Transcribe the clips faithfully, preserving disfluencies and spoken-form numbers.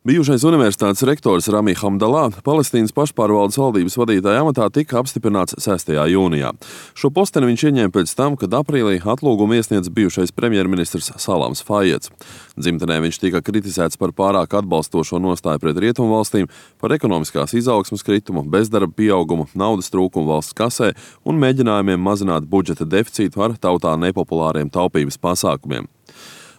Bijušais universitātes rektors Rami Hamdallah Palestīnas pašpārvaldes valdības vadītāja amatā tika apstiprināts sestajā jūnijā. Šo posteni viņš ieņēma pēc tam, kad aprīlī atlūgumu iesniedz bijušais premjerministrs Salams Fajeds. Dzimtenē viņš tika kritizēts par pārāk atbalstošo nostāju pret rietumvalstīm, par ekonomiskās izaugsmes kritumu, bezdarba pieaugumu, naudas trūkumu valsts kasē un mēģinājumiem mazināt budžeta deficītu ar tautā nepopulāriem taupības pasākumiem.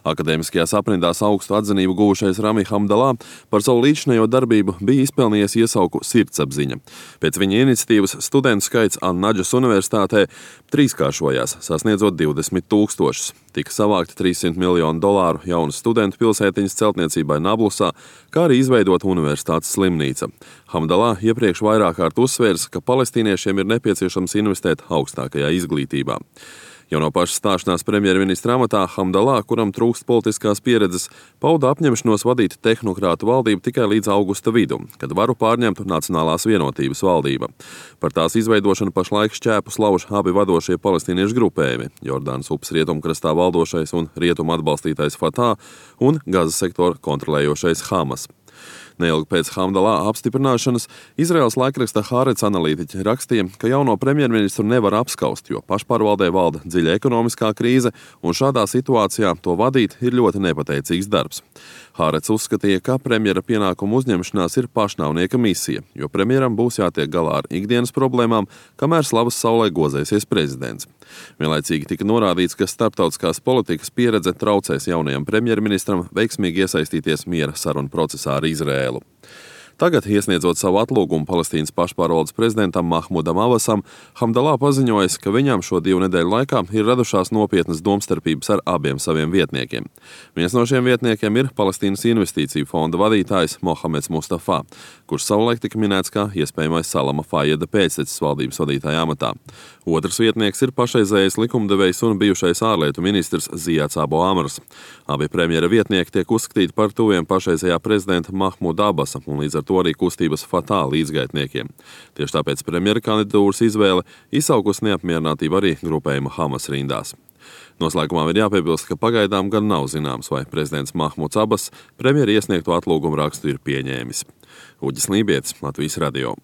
Akadēmiskajās aprindās augstu atzinību guvušais Rami Hamdallah par savu līdzinējo darbību bija izpelnījies iesauku Sirdsapziņa. Pēc viņa iniciatīvas studentu skaits An-Nadžas universitātē trīskāršojās, sasniedzot divdesmit tūkstošus. Tika savākti trīssimt miljonu dolāru jaunu studentu pilsētiņas celtniecībai Nablusā, kā arī izveidota universitātes slimnīca. Hamdallah iepriekš vairāk kārt uzsvērs, ka palestīniešiem ir nepieciešams investēt augstākajā izglītībā. Jau no paša stāšanās premjerministra amatā Hamdallah, kuram trūkst politiskās pieredzes, pauda apņemšanos vadīt tehnokrātu valdību tikai līdz augusta vidum, kad varu pārņemtu Nacionālās vienotības valdība. Par tās izveidošanu pašlaik šķēpus lauž abi vadošie palestīniešu grupējumi – Jordānas upes rietumkrastā valdošais un rietumu atbalstītais Fatah un Gazas sektoru kontrolējošais Hamas. Neilgi pēc Hamdallah apstiprināšanas Izraels laikraksta Haaretz analītiķi rakstīja, ka jauno premjerministru nevar apskaust, jo pašpārvaldē valda dziļa ekonomiskā krīze, un šādā situācijā to vadīt ir ļoti nepateicīgs darbs. Haaretz uzskatīja, ka premjera pienākumu uzņemšanās ir pašnāvnieka misija, jo premjeram būs jātiek galā ar ikdienas problēmām, kamēr slavas saulē gozēsies prezidents. Vienlaicīgi tika norādīts, ka starptautiskās politikas pieredze traucēs jaunajam premjerministram veiksmīgi iesaistīties miera sarunu procesā ar Izrēlu. Tagad, iesniedzot savu atlūgumu Palestīnas pašpārvaldes prezidentam Mahmudam Abbasam, Hamdallah paziņojis, ka viņam šo divu nedēļu laikā ir radušās nopietnas domstarpības ar abiem saviem vietniekiem. Viens no šiem vietniekiem ir Palestīnas investīciju fonda vadītājs Mohameds Mustafa, kurš savulaik tika minēts kā iespējamais Salama Fajeda pēctecis valdības vadītāja amatā. Otrs vietnieks ir pašreizējais likumdevējs un bijušais ārlietu ministrs Ziads Abu Amrs. Abi premjera vietnieki tiek uzskatīti par tuviem pašreizējā prezidenta Mahmuda Abbasa un līdz ar to arī kustības Fatah līdzgaitniekiem. Tieši tāpēc premjera kandidatūras izvēle izsaukus neapmierinātību arī grupējuma Hamas rindās. Noslēgumā ir jāpiebilst, ka pagaidām gan nav zināms, vai prezidents Mahmuds Abbas premjera iesniegto atlūgumu rakstu ir pieņēmis. Uģis Lībietis, Latvijas radio.